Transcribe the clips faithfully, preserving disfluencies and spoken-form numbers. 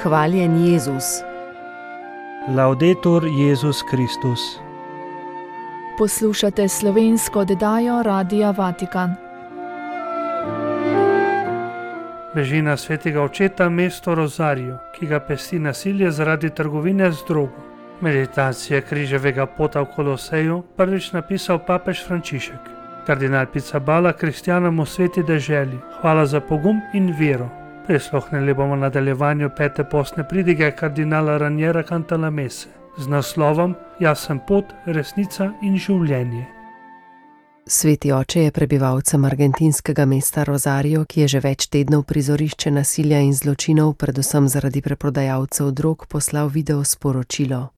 Hvaljen Jezus. Laudetur Jezus Kristus. Poslušate slovensko oddajo Radia Vatikan. Bežina svetega očeta mesto Rosario, ki ga pesti nasilje zaradi trgovine z drogo. Meditacija križevega pota v Koloseju prvič napisal papež Frančišek. Kardinal Pizzaballa kristjanom v sveti deželi hvala za pogum in vero. Prisluhnili bomo nadaljevanju pete postne pridige kardinala Raniera Cantalamesse z naslovom Jaz sem pot, resnica in življenje. Sveti oče je prebivalcem argentinskega mesta Rosario, ki je že več tednov prizorišče nasilja in zločinov, predvsem zaradi preprodajalcev drog, poslal video sporočilo.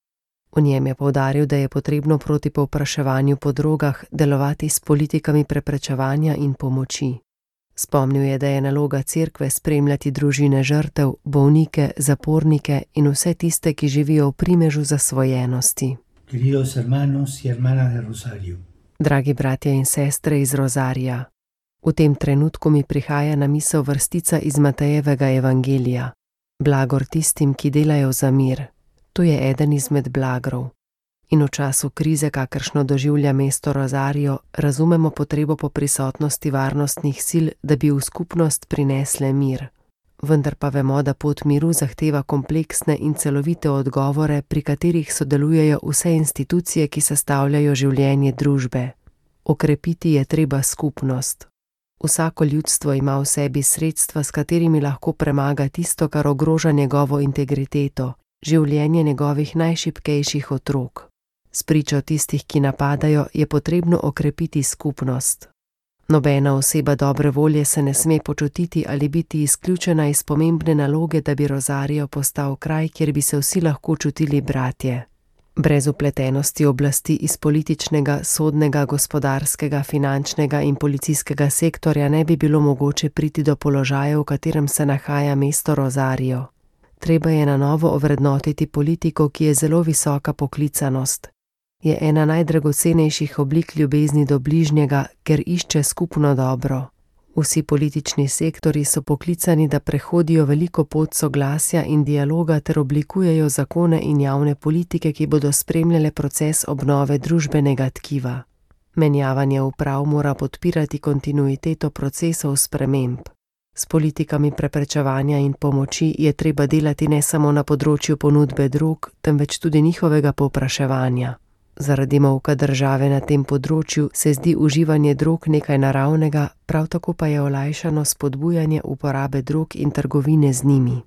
V njem je poudaril, da je potrebno proti povpraševanju po drogah delovati s politikami preprečevanja in pomoči. Spomnil je, da je naloga cerkve spremljati družine žrtev, bolnike, zapornike in vse tiste, ki živijo v primežu zasvojenosti. Queridos hermanos y hermanas de Rosario. Dragi bratje in sestre iz Rozarija, v tem trenutku mi prihaja na misel vrstica iz Matejevega evangelija. Blagor tistim, ki delajo za mir. To je eden izmed blagrov. In v času krize, kakršno doživlja mesto Rosario, razumemo potrebo po prisotnosti varnostnih sil, da bi v skupnost prinesle mir. Vendar pa vemo, da pot miru zahteva kompleksne in celovite odgovore, pri katerih sodelujejo vse institucije, ki sestavljajo življenje družbe. Okrepiti je treba skupnost. Vsako ljudstvo ima v sebi sredstva, s katerimi lahko premaga tisto, kar ogroža njegovo integriteto, življenje njegovih najšibkejših otrok. Spričo tistih, ki napadajo, je potrebno okrepiti skupnost. Nobena oseba dobre volje se ne sme počutiti ali biti izključena iz pomembne naloge, da bi Rosario postal kraj, kjer bi se vsi lahko čutili bratje. Brez vpletenosti oblasti iz političnega, sodnega, gospodarskega, finančnega in policijskega sektorja ne bi bilo mogoče priti do položaja, v katerem se nahaja mesto Rosario. Treba je na novo ovrednotiti politiko, ki je zelo visoka poklicanost. Je ena najdragocenejših oblik ljubezni do bližnjega, ker išče skupno dobro. Vsi politični sektori so poklicani, da prehodijo veliko pot soglasja in dialoga ter oblikujejo zakone in javne politike, ki bodo spremljale proces obnove družbenega tkiva. Menjavanje uprav mora podpirati kontinuiteto procesov sprememb. S politikami preprečevanja in pomoči je treba delati ne samo na področju ponudbe drog, temveč tudi njihovega povpraševanja. Zaradi molka države na tem področju se zdi uživanje drog nekaj naravnega, prav tako pa je olajšano spodbujanje uporabe drog in trgovine z njimi.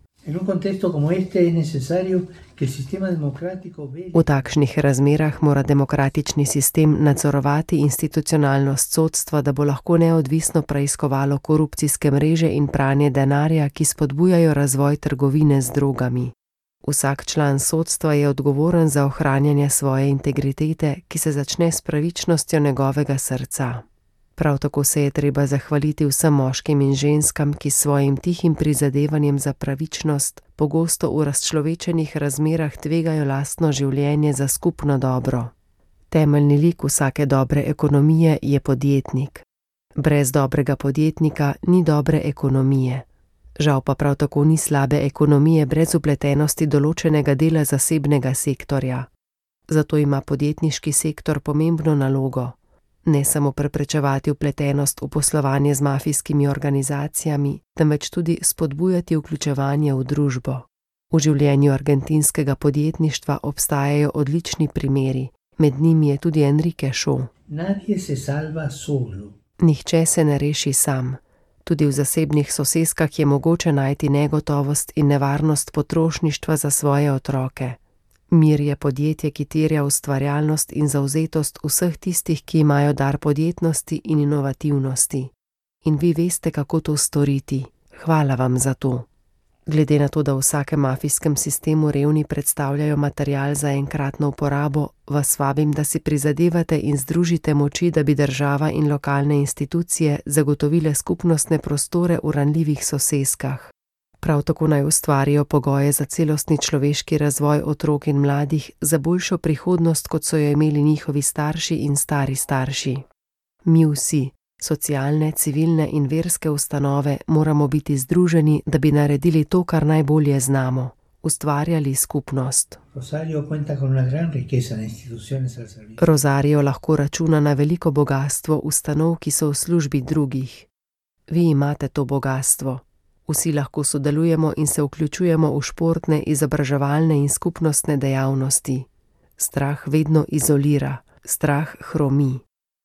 V takšnih razmerah mora demokratični sistem nadzorovati institucionalnost sodstva, da bo lahko neodvisno preiskovalo korupcijske mreže in pranje denarja, ki spodbujajo razvoj trgovine z drogami. Vsak član sodstva je odgovoren za ohranjanje svoje integritete, ki se začne s pravičnostjo njegovega srca. Prav tako se je treba zahvaliti vsem moškim in ženskam, ki s svojim tihim prizadevanjem za pravičnost pogosto v razčlovečenih razmerah tvegajo lastno življenje za skupno dobro. Temeljni lik vsake dobre ekonomije je podjetnik. Brez dobrega podjetnika ni dobre ekonomije. Žal pa prav tako ni slabe ekonomije brez vpletenosti določenega dela zasebnega sektorja. Zato ima podjetniški sektor pomembno nalogo. Ne samo preprečevati vpletenost v poslovanje z mafijskimi organizacijami, temveč tudi spodbujati vključevanje v družbo. V življenju argentinskega podjetništva obstajajo odlični primeri, med njimi je tudi Enrique Shaw. Nadie se salva solo. Nihče se ne reši sam. Tudi v zasebnih soseskah je mogoče najti negotovost in nevarnost potrošništva za svoje otroke. Mir je podjetje, ki terja ustvarjalnost in zavzetost vseh tistih, ki imajo dar podjetnosti in inovativnosti. In vi veste, kako to storiti. Hvala vam za to. Glede na to, da v vsakem mafijskem sistemu revni predstavljajo material za enkratno uporabo, vas vabim, da si prizadevate in združite moči, da bi država in lokalne institucije zagotovile skupnostne prostore v ranljivih soseskah. Prav tako naj ustvarijo pogoje za celostni človeški razvoj otrok in mladih, za boljšo prihodnost, kot so jo imeli njihovi starši in stari starši. Mi vsi, socialne, civilne in verske ustanove moramo biti združeni, da bi naredili to, kar najbolje znamo. ustvarjali skupnost. Rosario cuenta con una gran riqueza de instituciones al servicio. Rosario lahko računa na veliko bogastvo ustanov, ki so v službi drugih. Vi imate to bogastvo. Vsi lahko sodelujemo in se vključujemo v športne, izobraževalne in skupnostne dejavnosti. Strah vedno izolira, strah hromi.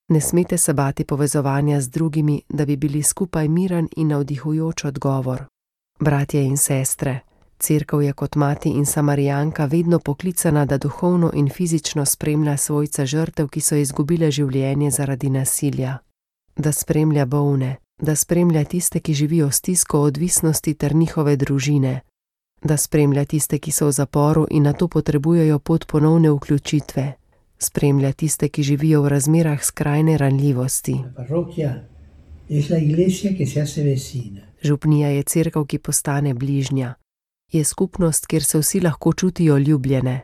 Ne smete se bati povezovanja z drugimi, da bi bili skupaj miren in navdihujoč odgovor. Bratje in sestre, Cerkev je kot mati in samarijanka vedno poklicana, da duhovno in fizično spremlja svojce žrtev, ki so izgubile življenje zaradi nasilja. Da spremlja bolne, da spremlja tiste, ki živijo s stisko odvisnosti ter njihove družine. Da spremlja tiste, ki so v zaporu in nato potrebujejo pot ponovne vključitve. Spremlja tiste, ki živijo v razmerah skrajne ranljivosti. Župnija je cerkev, ki postane bližnja. Je skupnost, kjer se vsi lahko čutijo ljubljene.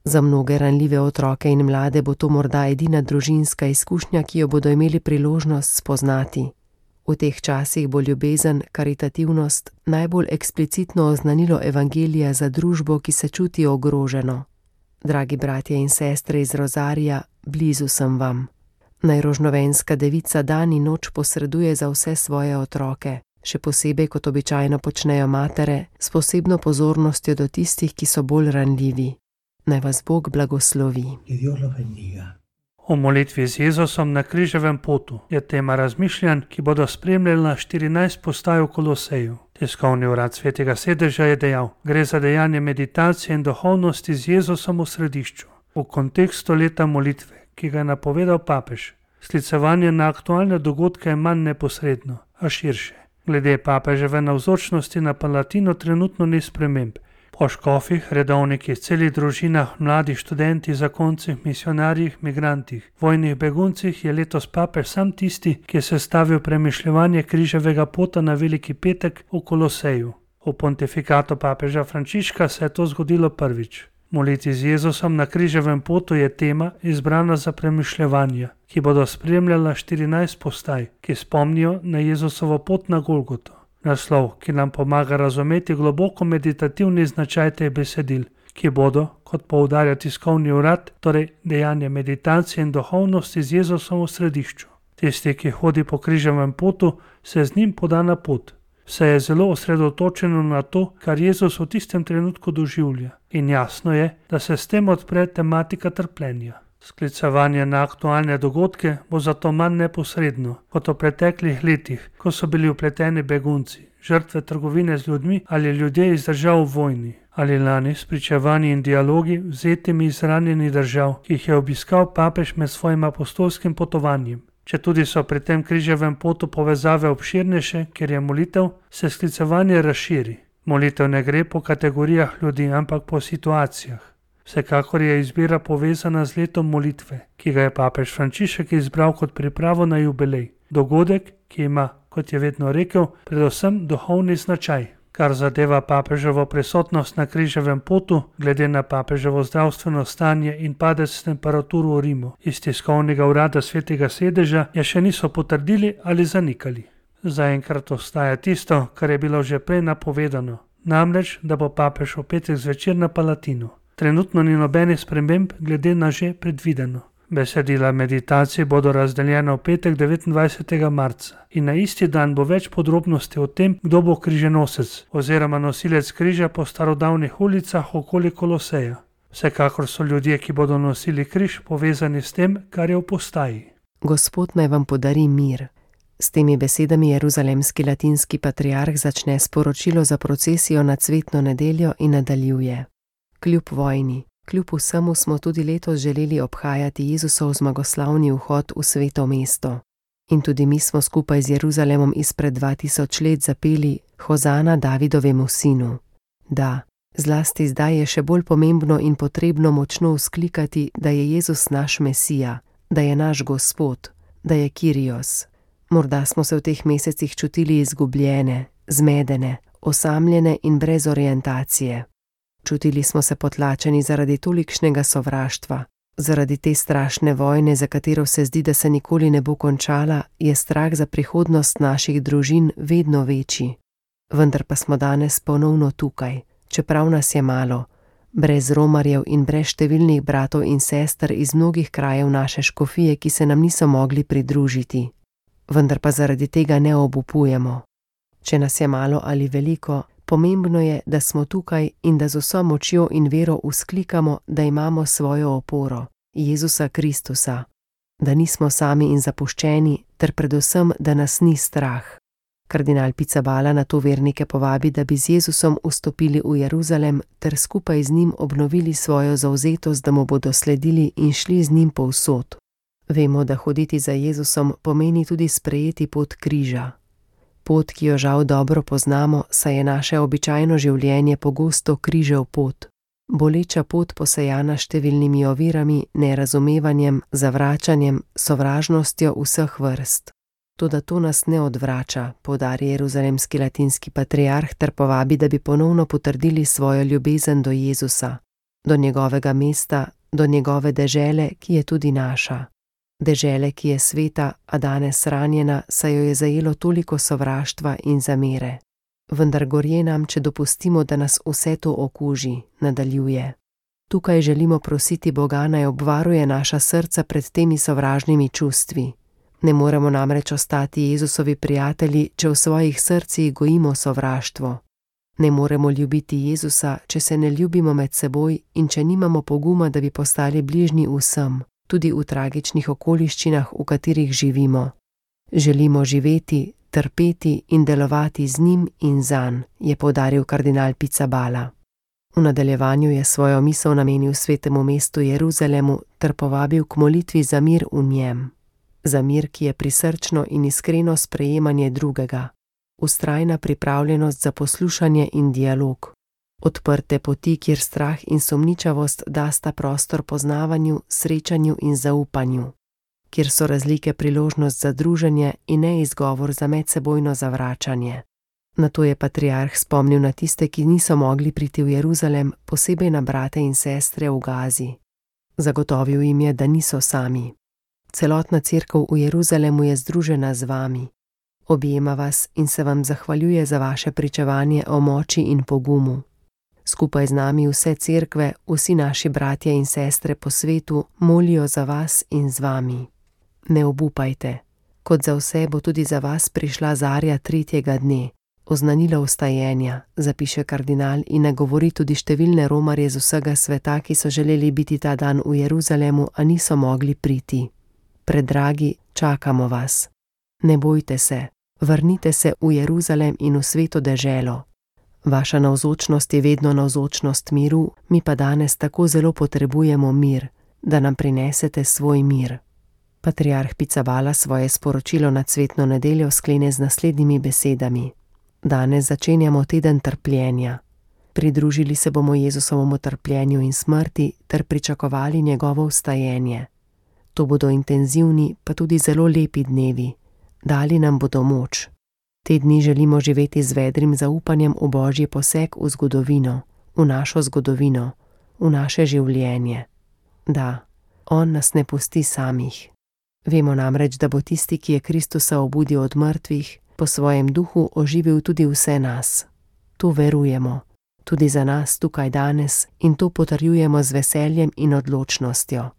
Za mnoge ranljive otroke in mlade bo to morda edina družinska izkušnja, ki jo bodo imeli priložnost spoznati. V teh časih bo ljubezen, karitativnost najbolj eksplicitno oznanilo evangelija za družbo, ki se čuti ogroženo. Dragi bratje in sestre iz Rozarija, blizu sem vam. Naj rožnovenska devica dan in noč posreduje za vse svoje otroke, še posebej kot običajno počnejo matere, s posebno pozornostjo do tistih, ki so bolj ranljivi. Naj vas Bog blagoslovi. O molitvi z Jezusom na križevem potu je tema razmišljanj, ki bodo spremljala štirinajst postaj v Koloseju. Tiskovni urad Svetega sedeža je dejal: gre za dejanje meditacije in duhovnosti z Jezusom v središču. V kontekstu leta molitve, ki ga je napovedal papež, sklicevanje na aktualne dogodke je manj neposredno, a širše. Glede papeževe navzočnosti na Palatinu trenutno ni sprememb. Po škofih, redovnikih, celih družinah, mladih študentih, zakoncih, misionarjih, migrantih, vojnih beguncih je letos papež sam tisti, ki je sestavil premišljevanje križevega pota na Veliki petek v Koloseju. V pontifikatu papeža Frančiška se je to zgodilo prvič. Moliti z Jezusom na križevem potu je tema izbrana za premišljevanja, ki bodo spremljala štirinajst postaj, ki spomnijo na Jezusovo pot na Golgoto. Naslov, ki nam pomaga razumeti globoko meditativni značaj teh besedil, ki bodo, kot poudarja tiskovni urad, torej dejanje meditacije in duhovnosti z Jezusom v središču. Tisti, ki hodi po križevem potu, se z njim poda na pot. Vse je zelo osredotočeno na to, kar Jezus v tistem trenutku doživlja. In jasno je, da se s tem odpre tematika trpljenja. Sklicevanje na aktualne dogodke bo zato manj neposredno kot v preteklih letih, ko so bili vpleteni begunci, žrtve trgovine z ljudmi ali ljudje iz držav v vojni, ali lani s pričevanji in dialogi vzetimi iz ranjenih držav, ki jih je obiskal papež med svojim apostolskim potovanjem. Če tudi so pri tem križevem potu povezave obširnejše, ker je molitev, se sklicevanje razširi. Molitev ne gre po kategorijah ljudi, ampak po situacijah. Vsekakor je izbira povezana z letom molitve, ki ga je papež Frančišek izbral kot pripravo na jubilej. Dogodek, ki ima, kot je vedno rekel, predvsem duhovni značaj. Kar zadeva papeževo prisotnost na križevem potu, glede na papeževo zdravstveno stanje in padec temperaturo v Rimu, iz tiskovnega urada Svetega sedeža je še niso potrdili ali zanikali. Zaenkrat ostaja tisto, kar je bilo že prej napovedano, namreč, da bo papež v petek zvečer na Palatinu. Trenutno ni nobenih sprememb glede na že predvideno. Besedila meditacije bodo razdeljena v petek devetindvajsetega marca in na isti dan bo več podrobnosti o tem, kdo bo križenosec oziroma nosilec križa po starodavnih ulicah okoli Koloseja. Vsekakor so ljudje, ki bodo nosili križ, povezani s tem, kar je v postaji. Gospod naj vam podari mir. S temi besedami jeruzalemski latinski patriarh začne sporočilo za procesijo na cvetno nedeljo in nadaljuje. Kljub vojni, kljub vsemu smo tudi letos želeli obhajati Jezusov zmagoslavni vhod v sveto mesto. In tudi mi smo skupaj z Jeruzalemom izpred dva tisoč let zapeli Hozana Davidovemu sinu. Da, zlasti zdaj je še bolj pomembno in potrebno močno vzklikati, da je Jezus naš Mesija, da je naš Gospod, da je Kyrios. Morda smo se v teh mesecih čutili izgubljene, zmedene, osamljene in brez orientacije. Čutili smo se potlačeni zaradi tolikšnega sovraštva, zaradi te strašne vojne, za katero se zdi, da se nikoli ne bo končala, je strah za prihodnost naših družin vedno večji. Vendar pa smo danes ponovno tukaj, Čeprav nas je malo, brez romarjev in brez številnih bratov in sester iz mnogih krajev naše škofije, ki se nam niso mogli pridružiti. Vendar pa zaradi tega ne obupujemo. Če nas je malo ali veliko, pomembno je, da smo tukaj in da z vso močjo in vero vzklikamo, da imamo svojo oporo, Jezusa Kristusa, da nismo sami in zapuščeni, ter predvsem, da nas ni strah. Kardinal Pizzaballa na to vernike povabi, da bi z Jezusom vstopili v Jeruzalem ter skupaj z njim obnovili svojo zavzetost, da mu bodo sledili in šli z njim povsod. Vemo, da hoditi za Jezusom pomeni tudi sprejeti pot križa. Pot, ki jo žal dobro poznamo, saj je naše običajno življenje pogosto križev pot. Boleča pot posejana številnimi ovirami, nerazumevanjem, zavračanjem, sovražnostjo vseh vrst. Toda to nas ne odvrača, poudari jeruzalemski latinski patriarh ter povabi, da bi ponovno potrdili svojo ljubezen do Jezusa, do njegovega mesta, do njegove dežele, ki je tudi naša. Dežele, ki je sveta, a danes ranjena, saj jo je zajelo toliko sovraštva in zamere. Vendar gorje nam, če dopustimo, da nas vse to okuži, nadaljuje. Tukaj želimo prositi Boga, naj obvaruje naša srca pred temi sovražnimi čustvi. Ne moremo namreč ostati Jezusovi prijatelji, če v svojih srcih gojimo sovraštvo. Ne moremo ljubiti Jezusa, če se ne ljubimo med seboj in če nimamo poguma, da bi postali bližnji vsem, tudi v tragičnih okoliščinah, v katerih živimo. Želimo živeti, trpeti in delovati z njim in zanj, je poudaril kardinal Pizzaballa. V nadaljevanju je svojo misel namenil svetemu mestu Jeruzalemu ter povabil k molitvi za mir v njem. Za mir, ki je prisrčno in iskreno sprejemanje drugega, vztrajna pripravljenost za poslušanje in dialog, odprte poti, kjer strah in sumničavost dasta prostor poznavanju, srečanju in zaupanju, kjer so razlike priložnost za druženje in ne izgovor za medsebojno zavračanje. Nato je patriarh spomnil na tiste, ki niso mogli priti v Jeruzalem, posebej na brate in sestre v Gazi. Zagotovil jim je, da niso sami. Celotna cerkev v Jeruzalemu je združena z vami. Objema vas in se vam zahvaljuje za vaše pričevanje o moči in pogumu. Skupaj z nami vse cerkve, vsi naši bratje in sestre po svetu molijo za vas in z vami. Ne obupajte. Kot za vse bo tudi za vas prišla zarja tretjega dne, oznanilo vstajenja, zapiše kardinal in nagovori tudi številne romarje z vsega sveta, ki so želeli biti ta dan v Jeruzalemu, a niso mogli priti. Predragi, čakamo vas. Ne bojte se, vrnite se v Jeruzalem in v sveto deželo. Vaša navzočnost je vedno navzočnost miru, mi pa danes tako zelo potrebujemo mir, da nam prinesete svoj mir. Patriarh Pizzaballa svoje sporočilo na cvetno nedeljo sklene z naslednjimi besedami. Danes začenjamo teden trpljenja. Pridružili se bomo Jezusovemu trpljenju in smrti ter pričakovali njegovo vstajenje. To bodo intenzivni, pa tudi zelo lepi dnevi. Dali nam bodo moč. Te dni želimo živeti z vedrim zaupanjem v Božji poseg v zgodovino, v našo zgodovino, v naše življenje. Da, on nas ne pusti samih. Vemo namreč, da bo tisti, ki je Kristusa obudil od mrtvih, po svojem duhu oživil tudi vse nas. To verujemo, tudi za nas tukaj danes, in to potrjujemo z veseljem in odločnostjo.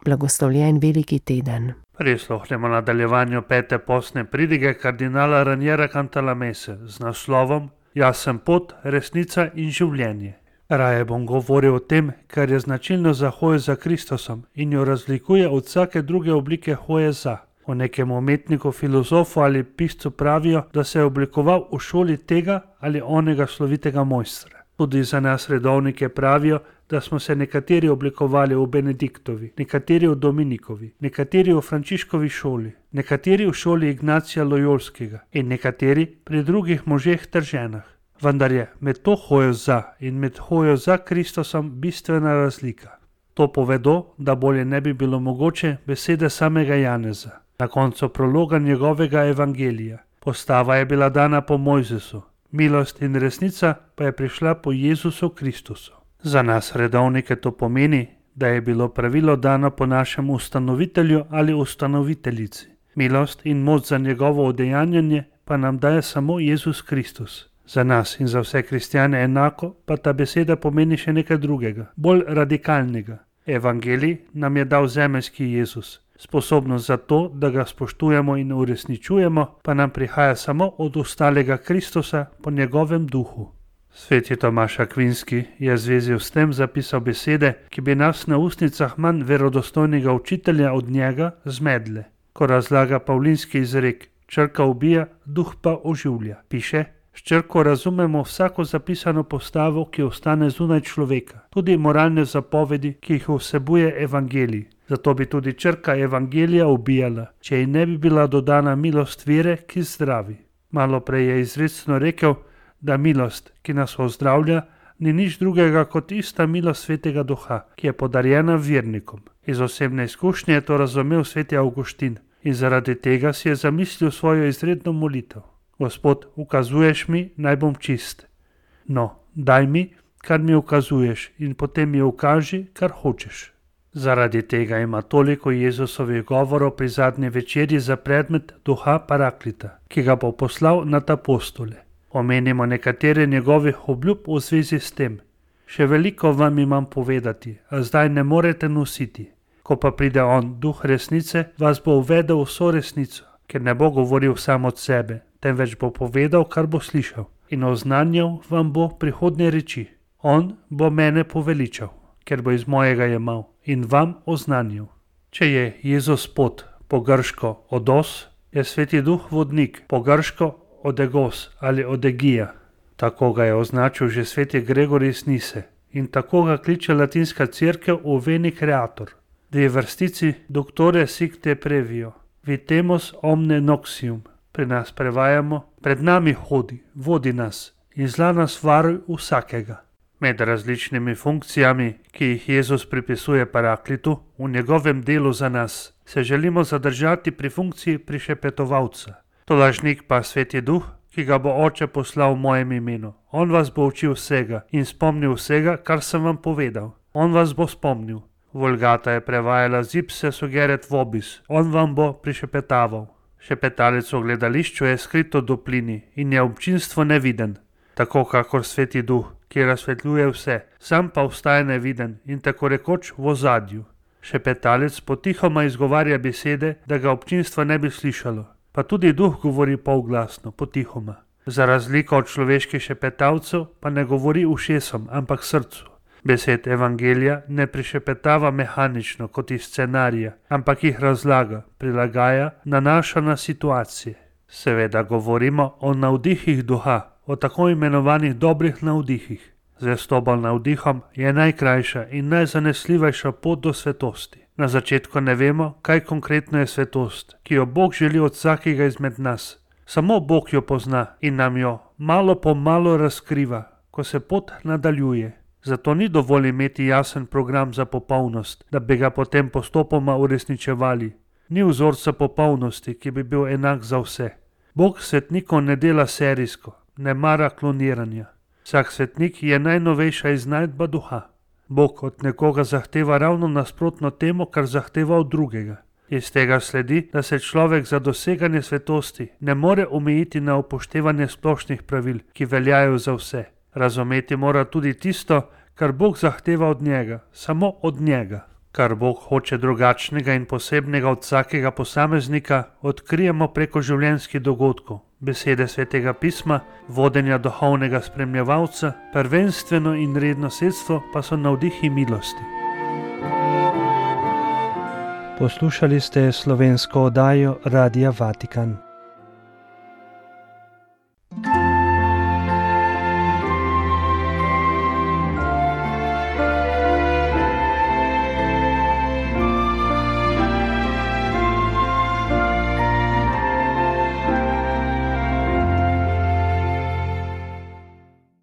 Blagoslovljen veliki teden. Prisluhnemo nadaljevanju pete postne pridige kardinala Raniera Cantalamesse z naslovom Jaz sem pot, resnica in življenje. Raje bom govoril o tem, kar je značilno za hojo za Kristusom in jo razlikuje od vsake druge oblike hoje za. O nekem umetniku, filozofu ali piscu pravijo, da se je oblikoval v šoli tega ali onega slovitega mojstra. Tudi za nas redovnike pravijo, da smo se nekateri oblikovali v Benediktovi, nekateri v Dominikovi, nekateri v Frančiškovi šoli, nekateri v šoli Ignacija Lojolskega in nekateri pri drugih možeh ter ženah. Vendar je med to hojo za in med hojo za Kristusom bistvena razlika. To povedo, da bolje ne bi bilo mogoče besede samega Janeza. Na koncu prologa njegovega evangelija. Postava je bila dana po Mojzesu, milost in resnica pa je prišla po Jezusu Kristusu. Za nas redovnike to pomeni, da je bilo pravilo dano po našem ustanovitelju ali ustanoviteljici. Milost in moč za njegovo udejanjanje pa nam daje samo Jezus Kristus. Za nas in za vse kristjane enako pa ta beseda pomeni še nekaj drugega, bolj radikalnega. Evangelij nam je dal zemeljski Jezus. Sposobnost za to, da ga spoštujemo in uresničujemo, pa nam prihaja samo od ostalega Kristusa po njegovem duhu. Sveti Tomaž Akvinski je v zvezi s tem zapisal besede, ki bi nas na ustnicah manj verodostojnega učitelja od njega zmedle. Ko razlaga pavlinski izrek, črka ubija, duh pa oživlja, piše: s črko razumemo vsako zapisano postavo, ki ostane zunaj človeka, tudi moralne zapovedi, ki jih vsebuje evangelij. Zato bi tudi črka evangelija ubijala, če ji ne bi bila dodana milost vere, ki zdravi. Malo prej je izrecno rekel, da milost, ki nas ozdravlja, ni nič drugega kot ista milost Svetega Duha, ki je podarjena vernikom. Iz osebne izkušnje je to razumel sveti Avguštin in zaradi tega si je zamislil svojo izredno molitev. Gospod, ukazuješ mi, naj bom čist. No, daj mi, kar mi ukazuješ, in potem mi ukaži, kar hočeš. Zaradi tega ima toliko Jezusovih govorov pri zadnji večerji za predmet duha Paraklita, ki ga bo poslal nad apostole. Omenimo nekatere njegovih obljub v zvezi s tem. Še veliko vam imam povedati, a zdaj ne morete nositi. Ko pa pride on, duh resnice, vas bo uvedel vso resnico, ker ne bo govoril sam od sebe, temveč bo povedal, kar bo slišal, in oznanjal vam bo prihodnje reči. On bo mene poveličal, ker bo iz mojega jemal, in vam oznanjal. Če je Jezus pot, po grško odos, je Sveti Duh vodnik, po grško odegos ali odegija. Tako ga je označil že sveti Gregorij iz Nise in tako ga kliče latinska cerkev v Veni Creator. Dve vrstici doctore sic te previo, vitemus omne noxium. Pri nas prevajamo: pred nami hodi, vodi nas in zla nas varuj vsakega. Med različnimi funkcijami, ki jih Jezus pripisuje Paraklitu v njegovem delu za nas, se želimo zadržati pri funkciji prišepetovalca. Tolažnik pa Sveti Duh, ki ga bo Oče poslal v mojem imenu. On vas bo učil vsega in spomnil vsega, kar sem vam povedal. On vas bo spomnil. Vulgata je prevajala zipse sugeret vobis. On vam bo prišepetaval. Šepetalec v gledališču je skrito doplini in je občinstvo neviden. Tako kakor Sveti Duh, ki razsvetljuje vse, sam pa ostaje neviden in tako rekoč v ozadju. Šepetalec potihoma izgovarja besede, da ga občinstvo ne bi slišalo. Pa tudi duh govori polglasno, potihoma. Za razliko od človeških šepetavcev pa ne govori ušesom, ampak srcu. Besed evangelija ne prišepetava mehanično kot iz scenarija, ampak jih razlaga, prilagaja, nanaša na situacije. Seveda govorimo o navdihih duha, o tako imenovanih dobrih navdihih. Zvestoba navdihom je najkrajša in najzanesljivejša pot do svetosti. Na začetku ne vemo, kaj konkretno je svetost, ki jo Bog želi od vsakega izmed nas. Samo Bog jo pozna in nam jo malo po malo razkriva, ko se pot nadaljuje. Zato ni dovolj imeti jasen program za popolnost, da bi ga potem postopoma uresničevali. Ni vzorca popolnosti, ki bi bil enak za vse. Bog svetnikov ne dela serijsko, ne mara kloniranja. Vsak svetnik je najnovejša iznajdba duha. Bog od nekoga zahteva ravno nasprotno temu, kar zahteva od drugega. Iz tega sledi, da se človek za doseganje svetosti ne more omejiti na upoštevanje splošnih pravil, ki veljajo za vse. Razumeti mora tudi tisto, kar Bog zahteva od njega, samo od njega. Kar Bog hoče drugačnega in posebnega od vsakega posameznika, odkrijemo preko življenjskih dogodkov, besede Svetega pisma, vodenja duhovnega spremljevalca, prvenstveno in redno sredstvo pa so navdihi milosti. Poslušali ste slovensko oddajo Radia Vatikan.